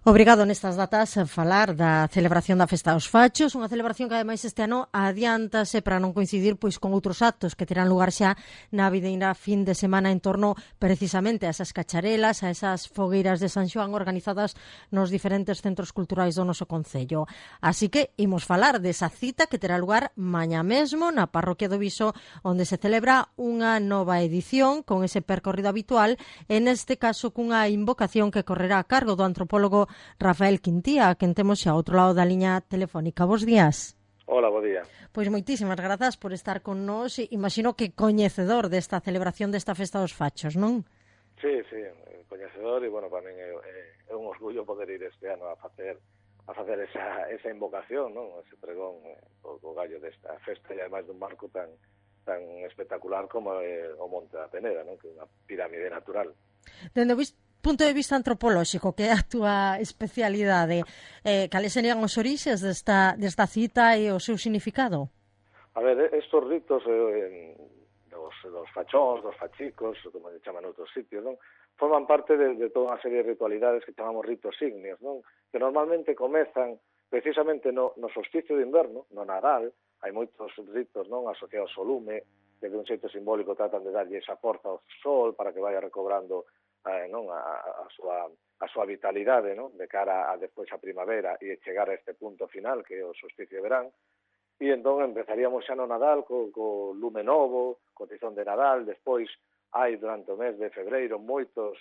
Obrigado nestas datas a falar da celebración da Festa dos Fachos, unha celebración que ademais este ano adiántase para non coincidir pois con outros actos que terán lugar xa na vindeira fin de semana en torno precisamente a esas cacharelas, a esas fogueiras de San Xoán organizadas nos diferentes centros culturais do noso concello. Así que imos falar desa cita que terá lugar mañá mesmo na parroquia do Viso, onde se celebra unha nova edición con ese percorrido habitual, e neste caso cunha invocación que correrá a cargo do antropólogo Rafael Quintía, a quen temos xa ao outro lado da liña telefónica. Bos días. Hola, bo día. Pois moitísimas grazas por estar con nós. Imagino que coñecedor desta celebración desta Festa dos Fachos, non? Sí, coñecedor, e, bueno, para min é un orgullo poder ir este ano a facer esa invocación, non? Ese pregón o gallo desta festa, e ademais dun marco tan espectacular como o Monte da Peneda, non? Que é unha pirámide natural. Dende o punto de vista antropolóxico, que é a túa especialidade, cales serían os orixes desta cita e o seu significado? A ver, estos ritos dos fachóns, dos fachicos, como se chaman outros sitios, non? Forman parte de toda unha serie de ritualidades que chamamos ritos ígneos, non? Que normalmente comezan precisamente no solsticio de inverno, no Nadal. Hai moitos ritos, non, asociados ao lume, que de un xeito simbólico tratan de darlle esa forza ao sol para que vaya recobrando non, a súa vitalidade, non, de cara a despois a primavera e chegar a este punto final que é o solsticio de verán. E entón empezaríamos xa no Nadal co lume novo, co tizón de Nadal. Despois hai durante o mes de febreiro moitos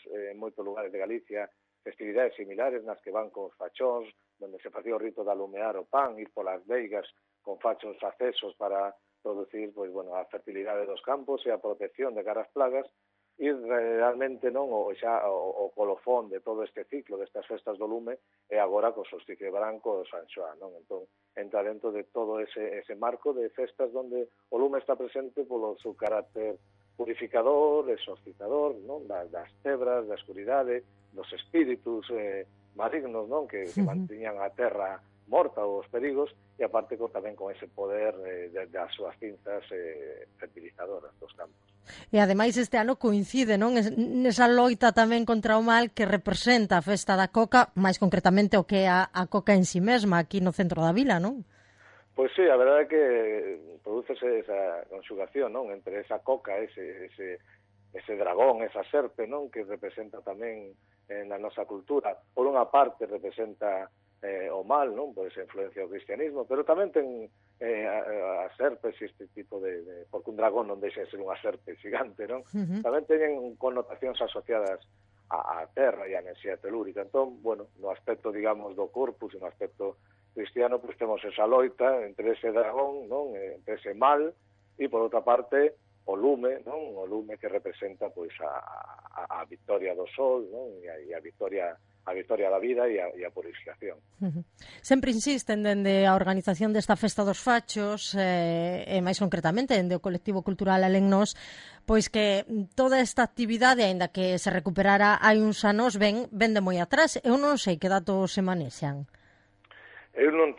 lugares de Galicia festividades similares nas que van con os fachóns, onde se facía o rito de alumear o pan, ir polas veigas con fachos accesos para producir, pois, bueno, a fertilidade dos campos e a protección de cara ás plagas. E realmente non o colofón de todo este ciclo destas festas do lume é agora co solsticio de verán co San Xoán, non? Entón, entra dentro de todo ese marco de festas onde o lume está presente polo seu carácter purificador, exorcizador, non? Das tebras, da escuridade, dos espíritus malignos, non? Que mantiñan a terra morta ou os perigos, e aparte tamén con ese poder das súas cinzas fertilizadoras dos campos. E ademais este ano coincide, non, nesa loita tamén contra o mal que representa a festa da coca, máis concretamente o que é a coca en si mesma aquí no centro da vila, non? Pois sí, a verdade é que prodúcese esa conxugación, non, entre esa coca, ese dragón, esa serpe, non, que representa tamén na nosa cultura. Por unha parte representa o mal, non, por esa influencia do cristianismo, pero tamén ten as serpes e este tipo de porque un dragón non deixa de ser unha serpe xigante, non? Tamén teñen connotacións asociadas á terra e á enerxía telúrica. Entón, bueno, no aspecto, digamos, do corpus e no aspecto cristiano, pois temos esa loita entre ese dragón, non, entre ese mal, e por outra parte o lume, non? O lume que representa pois a victoria do sol, non? E a victoria da vida e a purificación. Sempre insisten dende a organización desta Festa dos Fachos, e máis concretamente dende o colectivo cultural Alennos, pois que toda esta actividade, aínda que se recuperara hai uns anos, ven de moi atrás. Eu non sei que datos se manexan. Eu non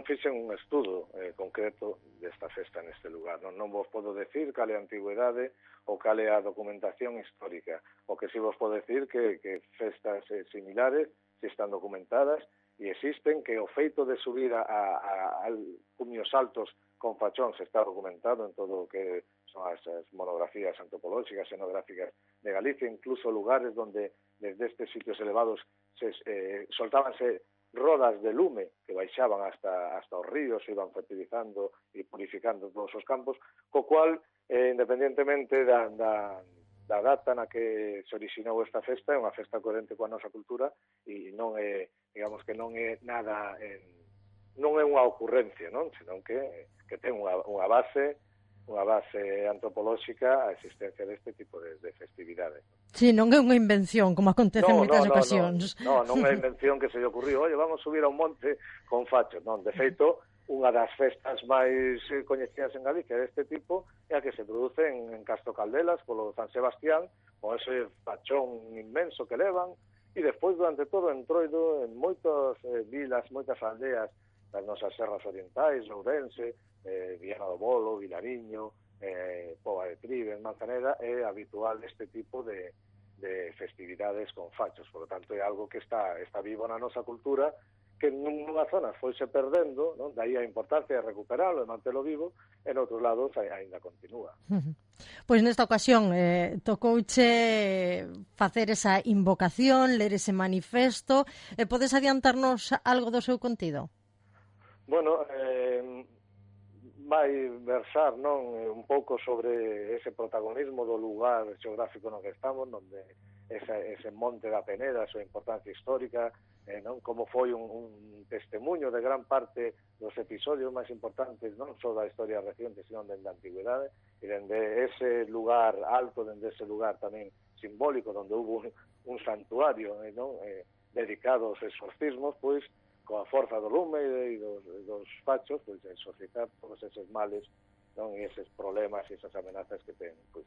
fixen un estudo concreto desta festa neste lugar. Non vos podo decir cal é a antigüedade ou cal é a documentación histórica. O que si vos podo decir que festas similares si están documentadas e existen, que o feito de subir a cumios altos con fachóns está documentado en todo o que son as monografías antropolóxicas, etnográficas de Galicia, incluso lugares donde desde estes sitios elevados soltábanse rodas de lume que baixaban hasta os ríos e iban fertilizando e purificando todos os campos, co cual, independentemente da data na que se orixinou esta festa, é unha festa coherente coa nosa cultura e non é, digamos que non é nada, non é unha ocurrencia, non? Senón que ten unha base antropolóxica a existencia deste tipo de festividades. Sí, non é unha invención, como acontece en moitas ocasións. Non é invención que se lle ocurriu, vamos subir a un monte con fachos. Non, de feito, unha das festas máis coñecidas en Galicia deste tipo é a que se produce en Castro Caldelas polo San Sebastián, con ese fachón inmenso que levan, e despois durante todo o entroido en moitas vilas, moitas aldeas das nosas serras orientais, Ourense, Viana do Bolo, Vilariño, Pova de Trives, Manzaneda, é habitual este tipo de de festividades con fachos. Por lo tanto, é algo que está vivo na nosa cultura, que nunha zona foise perdendo, non? Daí a importancia de recuperarlo, de mantelo vivo, e noutros lados ainda continúa. Pois nesta ocasión tocouche facer esa invocación, ler ese manifesto. Podes adiantarnos algo do seu contido? Bueno, vai versar, non, un pouco sobre ese protagonismo do lugar xeográfico no que estamos, onde ese monte da Peneda, a súa importancia histórica, non, como foi un testemunho de gran parte dos episodios máis importantes, non só da historia reciente, sino dende a antigüedade, e dende ese lugar alto, dende ese lugar tamén simbólico, onde hubo un santuario, non, dedicado aos exorcismos, pois, coa forza do lume e dos fachos, pois, exorcitar todos eses males, non, e eses problemas e esas amenazas que ten, pois,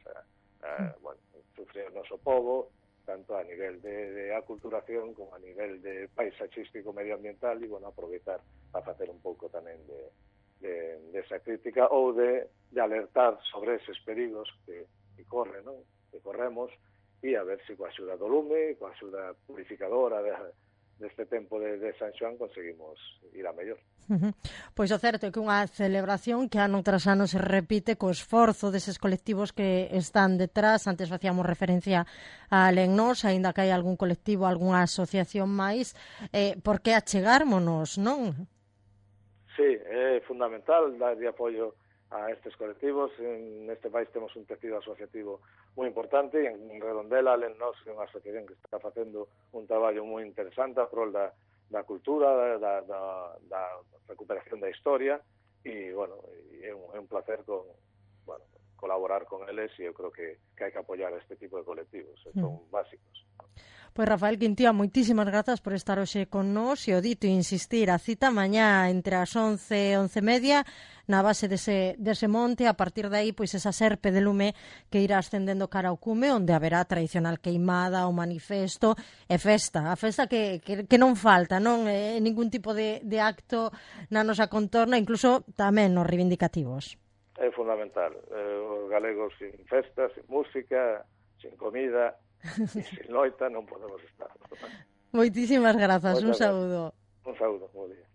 bueno, sufrir o noso povo, tanto a nivel de aculturación como a nivel de paisaxístico medioambiental, e, bueno, aproveitar para facer un pouco tamén de esa crítica ou de alertar sobre eses perigos que corren, non? Que corremos, e a ver se coa axuda do lume, coa axuda purificadora deste tempo de San Xoán conseguimos ir a mellor. Pois o certo é que unha celebración que ano tras ano se repite co esforzo deses colectivos que están detrás. Antes facíamos referencia a Lennos, aínda que hai algún colectivo, algunha asociación máis, por que achegármonos, non? Sí, é fundamental dar de apoio a estes colectivos. Neste país temos un tecido asociativo moi importante, e en Redondela, Lennos, é unha asociación que está facendo un traballo moi interesante a prol da cultura, da recuperación da historia, e, bueno, é un placer colaborar con eles, e eu creo que hai que apoiar este tipo de colectivos, son básicos. Pois Rafael Quintía, moitísimas grazas por estar hoxe con nós, e o dito insistir, a cita mañá entre as 11 e 11:30 na base dese monte. A partir de aí, pois esa serpe de lume que irá ascendendo cara ao cume, onde haberá tradicional queimada, o manifesto e festa. A festa que non falta, non? Ningún tipo de acto na nosa contorna, incluso tamén nos reivindicativos. É fundamental. Os galegos sin festa, sin música, sin comida, e sin loita non podemos estar. Moitísimas grazas, un saúdo. Un saúdo, moi bien.